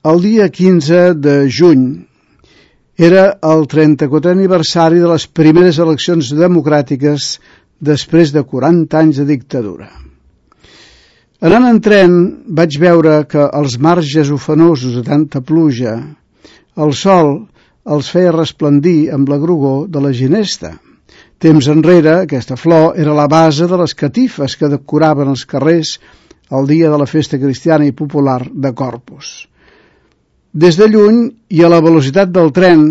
El dia 15 de juny era el 34è aniversari de les primeres eleccions democràtiques després de 40 anys de dictadura. Anant en tren vaig veure que els marges ufanosos de tanta pluja, el sol els feia resplendir amb la grogor de la ginesta. Temps enrere, aquesta flor era la base de les catifes que decoraven els carrers el dia de la festa cristiana i popular de Corpus. Des de lluny i a la velocitat del tren,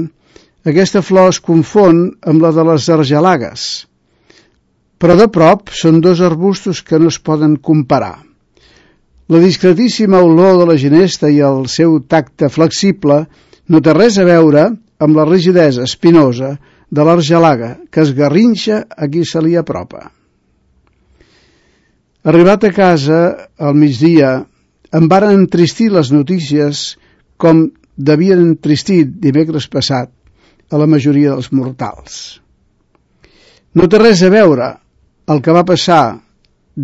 aquesta flor es confon amb la de les argelagues, però de prop són dos arbustos que no es poden comparar. La discretíssima olor de la ginesta i el seu tacte flexible no té res a veure amb la rigidesa espinosa de l'argelaga que esgarrinxa a qui se li apropa. Arribat a casa al migdia, em varen entristir les notícies com devien entristit dimecres passat a la majoria dels mortals. No té res a veure el que va passar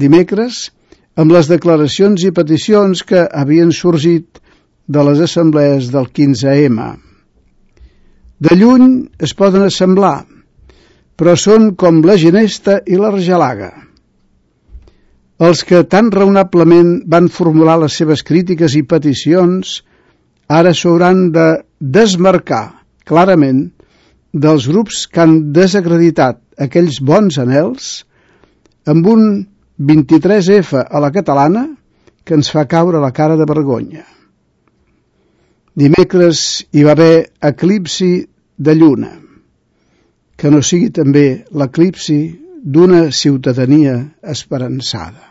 dimecres amb les declaracions i peticions que havien sorgit de les assemblees del 15M. De lluny es poden assemblar, però són com la ginesta i l'argelaga. Els que tan raonablement van formular les seves crítiques i peticions ara s'hauran de desmarcar clarament dels grups que han desacreditat aquells bons anhels amb un 23F a la catalana que ens fa caure la cara de vergonya. Dimecres hi va haver eclipsi de lluna, que no sigui també l'eclipsi d'una ciutadania esperançada.